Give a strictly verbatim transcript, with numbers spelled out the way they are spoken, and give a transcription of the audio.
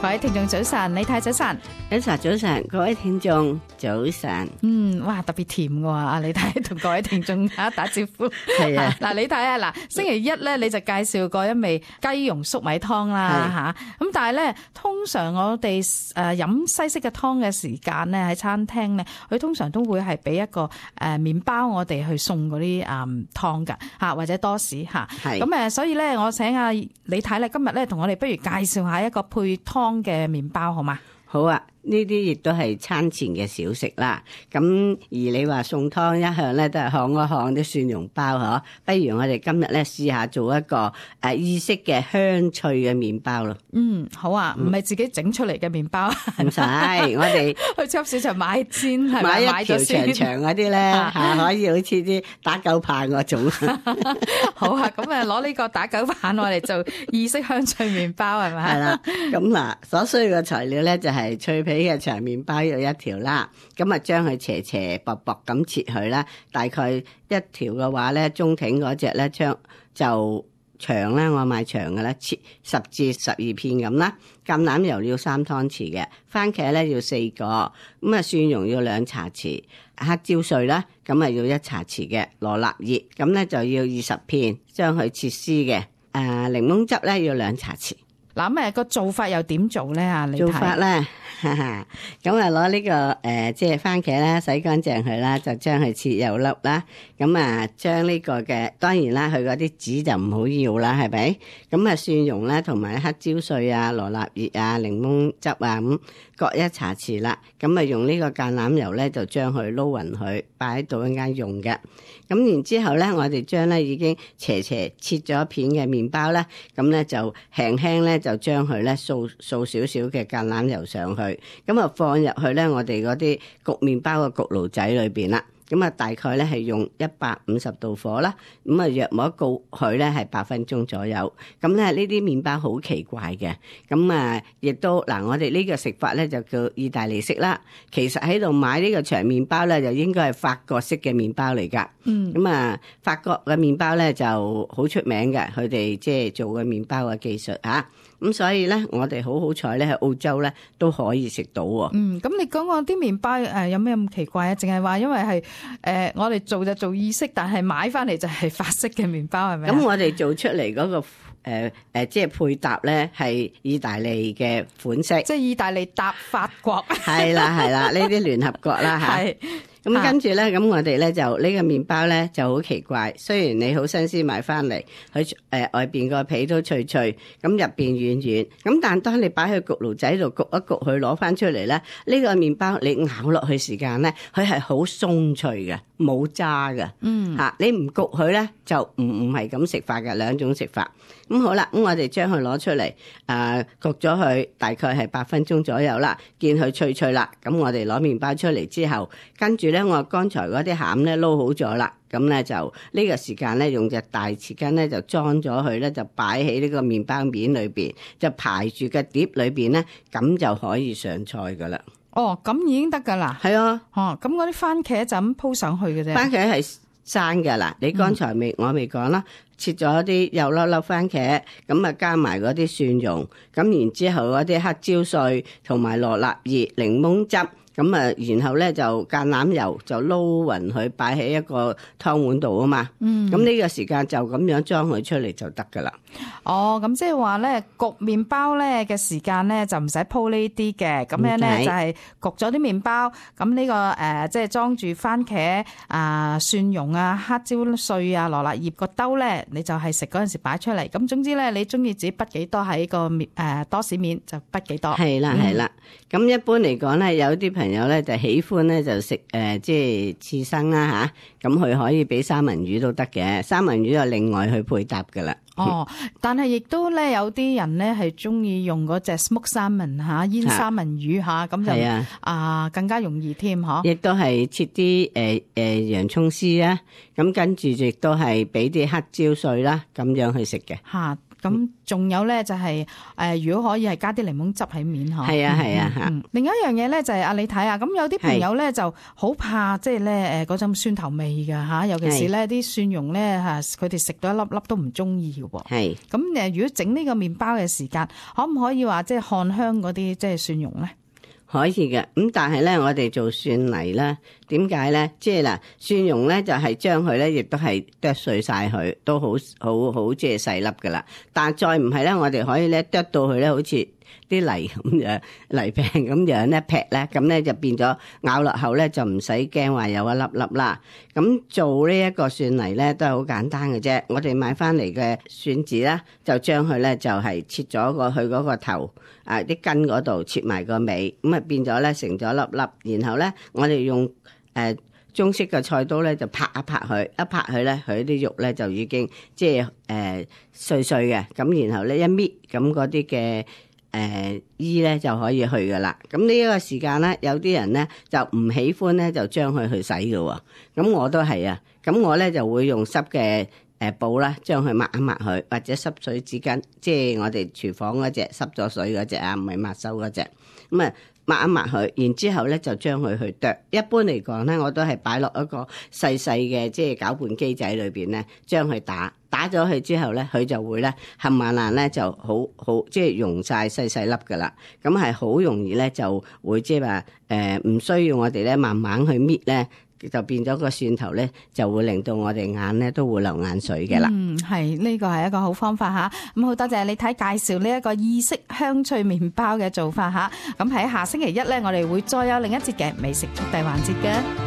各位聽眾早晨，李太早晨，早晨早晨，各位聽眾早晨。嗯，哇，特別甜嘅喎，阿李太同各位聽眾打打招呼。係啊，嗱，李太啊，嗱，星期一咧你就介紹過一味雞蓉粟米湯啦嚇，咁但係咧通常我哋誒飲西式嘅湯嘅時間咧喺餐廳咧，佢通常都會係俾一個誒麵包我哋去送嗰啲誒湯㗎嚇，或者多士嚇。係。咁誒，所以咧我請阿李太咧今日咧同我哋不如介紹下一個配湯嘅麵包好嗎？好啊，呢啲亦都係餐前嘅小食啦。咁而你話餸湯一向咧都係烘一烘啲蒜蓉包嗬，不如我哋今日咧試下做一個誒意式嘅香脆嘅麵包咯。嗯，好啊，唔係自己整出嚟嘅麵包，唔使，我哋去超市場買煎係買咪？一條長長嗰啲咧嚇，可以好似啲打狗棒嗰種。好啊，咁啊攞呢個打狗棒我哋做意式香脆麵包係咪？係啦，咁嗱，所需要嘅材料咧就係脆皮嘅長麵包要一條啦，咁啊將佢斜斜薄薄咁切佢啦，大概一條嘅話咧，中挺嗰隻咧將就長咧，我買長嘅咧，切十至十二片咁啦。橄欖油要三湯匙嘅，番茄咧要四個，咁啊蒜蓉要兩茶匙，黑椒碎啦，咁啊要一茶匙嘅，羅勒葉咁咧就要二十片，將佢切絲嘅，誒檸檬汁咧要兩茶匙。嗱咁誒個做法又點做咧啊？你睇做法咧，咁啊攞呢個誒、呃、即係番茄啦，洗乾淨佢啦，就將佢切幼粒啦。咁啊將呢個嘅當然啦，佢嗰啲籽就唔好要啦，係咪？咁啊蒜蓉啦，同埋黑椒碎啊、羅勒葉啊、檸檬汁啊咁各一茶匙啦。咁啊用呢個橄欖油咧，就將佢撈勻佢，擺喺度一間用嘅。咁然之後咧，我哋將咧已經斜斜切咗片嘅麵包咧，咁咧就輕輕咧就將佢咧掃掃少少嘅橄欖油上去，咁啊放入去咧我哋嗰啲焗麵包嘅焗爐仔裏邊啦。咁啊大概咧係用一百五十度火啦，咁啊約莫焗佢咧係八分鐘左右。咁咧呢啲麵包好奇怪嘅，咁啊亦都嗱我哋呢個食法咧就叫意大利式啦。其實喺度買呢個長麵包咧就應該係法國式嘅麵包嚟㗎。嗯，咁啊法國嘅麵包咧就好出名嘅，佢哋即係做嘅麵包嘅技術嚇。咁所以咧，我哋好好彩咧，喺澳洲咧都可以食到喎。嗯，咁你講講啲麵包誒有咩咁奇怪啊？淨係話因為係誒、呃、我哋做就做意式，但係買翻嚟就係法式嘅麵包係咪？咁我哋做出嚟嗰、那個誒誒、呃呃，即係配搭咧係意大利嘅款式，即係意大利搭法國。係啦係啦，呢啲聯合國啦嚇。係。咁跟住咧，咁我哋咧就呢個麵包咧就好奇怪。雖然你好新鮮買翻嚟，佢誒、呃、外邊個皮都脆脆，咁入邊軟軟。咁但當你擺去焗爐仔度焗一焗，佢攞翻出嚟咧，呢、這個麵包你咬落去時間咧，佢係好鬆脆嘅，冇渣嘅。嗯，嚇、啊、你唔焗佢咧，就唔唔係咁食法嘅，兩種食法。咁好啦，咁我哋將佢攞出嚟，誒、呃、焗咗佢大概係八分鐘左右啦，見佢脆脆啦。咁我哋攞麵包出嚟之後，跟住咧我剛才嗰啲餡咧撈好咗啦，咁咧就呢個時間咧用隻大匙羹咧就裝咗佢咧，就擺喺呢個麵包面裏邊，就排住個碟裏邊咧，咁就可以上菜噶啦。哦，咁已經得噶啦。係啊。哦，咁嗰啲番茄就咁鋪上去嘅啫。番茄係生嘅啦，你剛才未、嗯、我未講啦，切咗啲幼粒粒番茄，咁啊加埋嗰啲蒜蓉，咁然之後嗰啲黑椒碎同埋羅勒葉、檸檬汁，咁啊然後咧就橄欖油就撈勻佢，擺喺一個湯碗度啊嘛。嗯，咁呢個時間就咁樣裝佢出嚟就得噶啦。哦，咁即係話咧焗麵包咧嘅時間咧就唔使鋪呢啲嘅，咁樣咧就係焗咗啲麵包，咁呢、這個誒即係裝住番茄啊、呃、蒜蓉啊、黑椒碎啊、羅勒葉個兜咧，你就係食嗰陣時擺出嚟。咁總之咧，你中意自己畢幾多喺個麵誒多士面就畢幾多。係啦係啦，咁、嗯、一般嚟講咧，有啲朋友咧就喜歡咧就食誒即係刺身啦吓，咁佢可以俾三文魚都得嘅，三文魚就另外去配搭噶啦。哦，但係亦都咧有啲人咧係中意用嗰隻 smoke salmon 嚇醃三文魚嚇，咁就啊、呃、更加容易添嗬。亦都係切啲誒誒洋葱絲啦，咁跟住亦都係俾啲黑椒碎啦，咁樣去食嘅。嚇，咁仲有咧就係、是、誒、呃，如果可以係加啲檸檬汁喺面嗬。係啊係啊吓、嗯。另一樣嘢咧就係、是、啊，你睇下，咁有啲朋友咧就好怕即係咧誒嗰種酸頭味㗎吓，尤其是咧啲蒜蓉咧吓，佢哋食到一粒粒都唔中意嘅喎。係。咁誒，如果整呢個麵包嘅時間，可唔可以話即係看香嗰啲即係蒜蓉咧？可以嘅，咁但係咧，我哋做蒜泥咧，點解咧？即係嗱，蒜蓉咧就係將佢咧，亦都係剁碎晒佢，都好好好即係細粒噶啦。但係再唔係咧，我哋可以咧剁到佢咧，好似啲泥咁樣泥餅咁樣咧劈咧，咁咧就變咗咬落口咧就唔使驚話有一粒粒啦。咁做呢一個蒜泥咧都係好簡單嘅啫。我哋買翻嚟嘅蒜子啦，就將佢咧就係切咗個去嗰個頭。啊！啲根嗰度切埋個尾，咁啊變咗咧成咗粒粒，然後咧我哋用誒、呃、中式嘅菜刀咧就拍一拍佢，一拍佢咧佢啲肉咧就已經即係誒、呃、碎碎嘅，咁然後咧一搣，咁嗰啲嘅誒衣咧就可以去噶啦。咁呢一個時間咧，有啲人咧就唔喜歡咧就將佢去洗嘅喎，咁我都係啊，咁我咧就會用濕嘅。誒布啦，將佢抹一抹佢，或者濕水紙巾，即係我哋廚房嗰隻濕咗水嗰隻啊，唔係抹收嗰隻。咁啊抹一抹佢，然之後咧就將佢去剁。一般嚟講咧，我都係擺落一個細細嘅即係攪拌機仔裏邊咧，將佢打打咗佢之後咧，佢就會咧冚唪唥咧就好好即係溶晒細細粒噶啦。咁係好容易咧就會即係話誒唔需要我哋咧慢慢去搣咧。就變咗個蒜頭咧，就會令到我哋眼咧都會流眼水嘅啦。嗯，係呢個係一個好方法吓。咁好多謝你睇介紹呢一個意式香脆麵包嘅做法吓。咁喺下星期一咧，我哋會再有另一節嘅美食速遞環節嘅。